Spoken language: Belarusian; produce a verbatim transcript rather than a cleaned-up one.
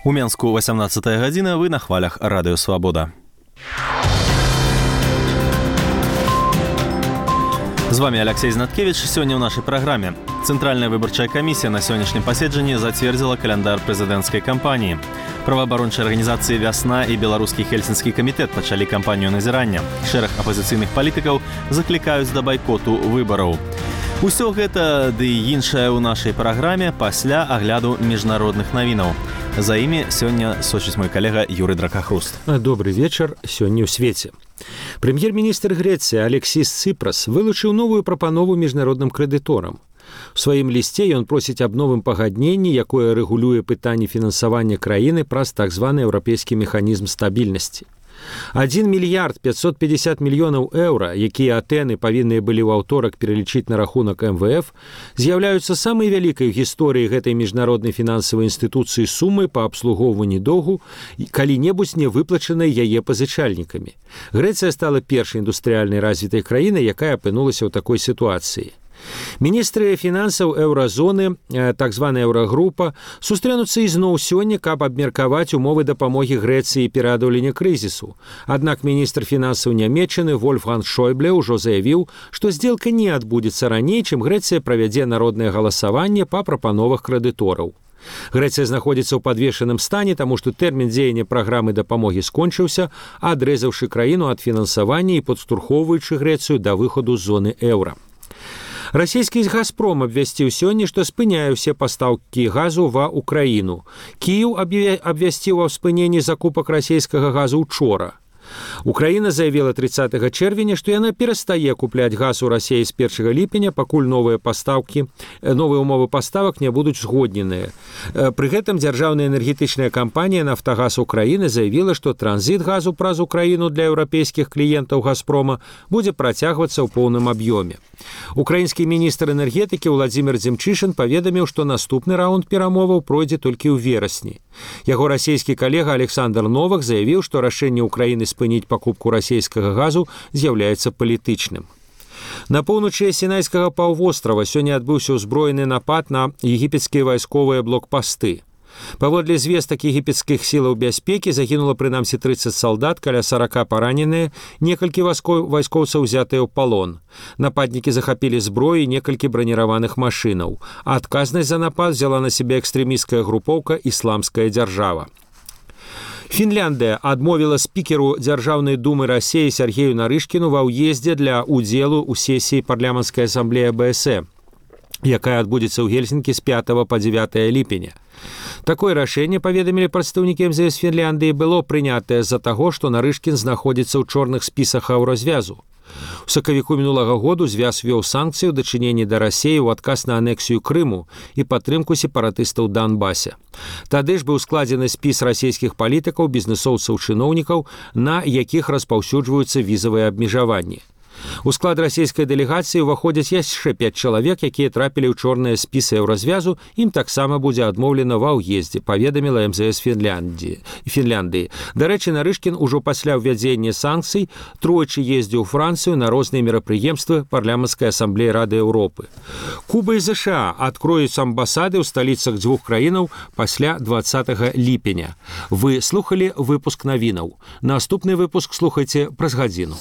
У Менску восемнадцатая гадзіна, вы на хвалях Радыё Свабода. З вами Алексей Знаткевич. Сегодня в нашей программе. Центральная выборчая комиссия на сегодняшнем поседжании затвердила календарь президентской кампании. Правоабарончыя организации «Вясна» и Белорусский Хельсинский комитет начали кампанию назирания. Шэраг оппозиционных политиков закликают до бойкоту выборов. Усё гэта ды і іншае ў нашай праграме пасля агляду міжнародных навінаў. За імі сёння сочыць мой калега Юрый Дракахруст. Добрый вечар сёння ў свеце. Прэм'ер-міністр Грэцыі Алексіс Цыпрас вылучыў новую прапанову міжнародным крэдыторам. У сваім лісце ён просіць аб новым пагадненні, якое рэгулюе пытанне фінансавання краіны праз так званы еўрапейскі механізм стабільнасці. адзін мільярд пятьсот пятьдесят мільёнаў еўра, якія Атэны павінныя былі ў аўторак пералічыць на рахунак эм вэ эф, з'яўляюцца самай вялікай у гісторыі гэтай міжнароднай фінансавай інстытуцыі сумы па абслугоўванні доўгу, калі-небудзь не выплачанай яе пазычальнікамі. Грэцыя стала першай індустрыяльнай развітай краінай, якая апынулася ў такой сітуацыі. Міністры фінансаў еўразоны, так званая еўрагрупа, сустрэнуцца ізноў сёння, каб абмеркаваць умовы дапамогі Грэцыі пераадолення крызісу. Аднак міністр фінансаў Нямецчыны Вольфганг Шойбле ўжо заявіў, што здзелка не адбудзецца раней, чым Грэцыя правядзе народнае галасаванне па прапановах крэдытораў. Грэцыя знаходзіцца ў падвешаным стане, таму што тэрмін дзеяння праграмы дапамогі скончыўся, адрэзаўшы краіну ад фінансавання і падштурхоўваючы Грэцыю да выхаду з зоны еўра. Расійскі «Газпром» абвясціў сёння, што спыняе ўсе пастаўкі газу ва ўкраіну. Кіеў абвясціў аб спыненні закупак расійскага газу учора. Украіна заявіла тридцатага чэрвеня, што яна перастае купляць газ у Расіі з першага ліпеня, пакуль новыя пастаўкі, новыя умовы паставак не будуць згодненыя. Пры гэтым дзяржаўная энергетычная кампанія «Нафтагаз Украіны» заявіла, што транзіт газу праз Украіну для еўрапейскіх кліентаў «Газпрома» будзе працягвацца ў поўным аб'ёме. Украінскі міністр энергетыкі Владзімір Дзімчышын паведаміў, што наступны раунд перамоваў пройдзе толькі ў верасні. Яго расійскі калега Александр Новак заявіў, што рашэнне Украіны спыніць пакупку расійскага газу з'яўляецца палітычным. На поўначы Сінайскага паўвострава сёння адбыўся ўзброены напад на егіпецкія вайсковыя блокпасты. Паводле звестак егіпецкіх сілаў бяспекі загінула прынамсі тридцать салдат, каля сорок параненыя, некалькі вайскоўцаў узятыя ў палон. Нападнікі захапілі зброю і некалькі браніраваных машынаў. А адказнасць за напад взяла на сябе экстрэмісцкая групоўка «Ісламская дзяржава». Фінляндыя адмовіла спікеру Дзяржаўнай думы Расіі Сергею Нарышкіну ва ўездзе для ўдзелу ў сесіі парламенцкай асамблеі бэ эс э, якая адбудзецца ў Гельсінкі з пятага па дзевятае ліпеня. Такое рашэнне, паведамілі прадстаўнікі эм зэ эс Фінляндыі, было прынятае з-за таго, што Нарышкін знаходзіцца ў чорных спісах еўразвязу. У сакавіку мінулага году звяз вёў санкцыі ў дачыненні да Расіі ў адказ на анексію Крыму і падтрымку сепаратыстаў Донбасе. Тады ж быў складзены спіс расійскіх палітыкаў, бізнэсоўцаў, чыноўнікаў, на якіх распаўсюджваюцца візавыя абмежаванні. У склад расійскай дэлегацыі ўваходзяць яшчэ пяць чалавек, якія трапілі ў чорныя спісы еўразвязу, ім таксама будзе адмоўлена ва ўездзе, паведаміла эм зэ эс Фінляндыі. Фінляндыі. Дарэчы, Нарышкін ужо пасля ўвядзення санкцый тройчы ездзіў у Францыю на розныя мерапрыемствы парламенцкай асамблеі Рады Еўропы. Куба і зэ ша а адкроюць амбасады ў сталіцах дзвюх краінаў пасля двадцатага ліпеня. Вы слухалі выпуск навінаў. Наступны выпуск слухайце праз гадзіну.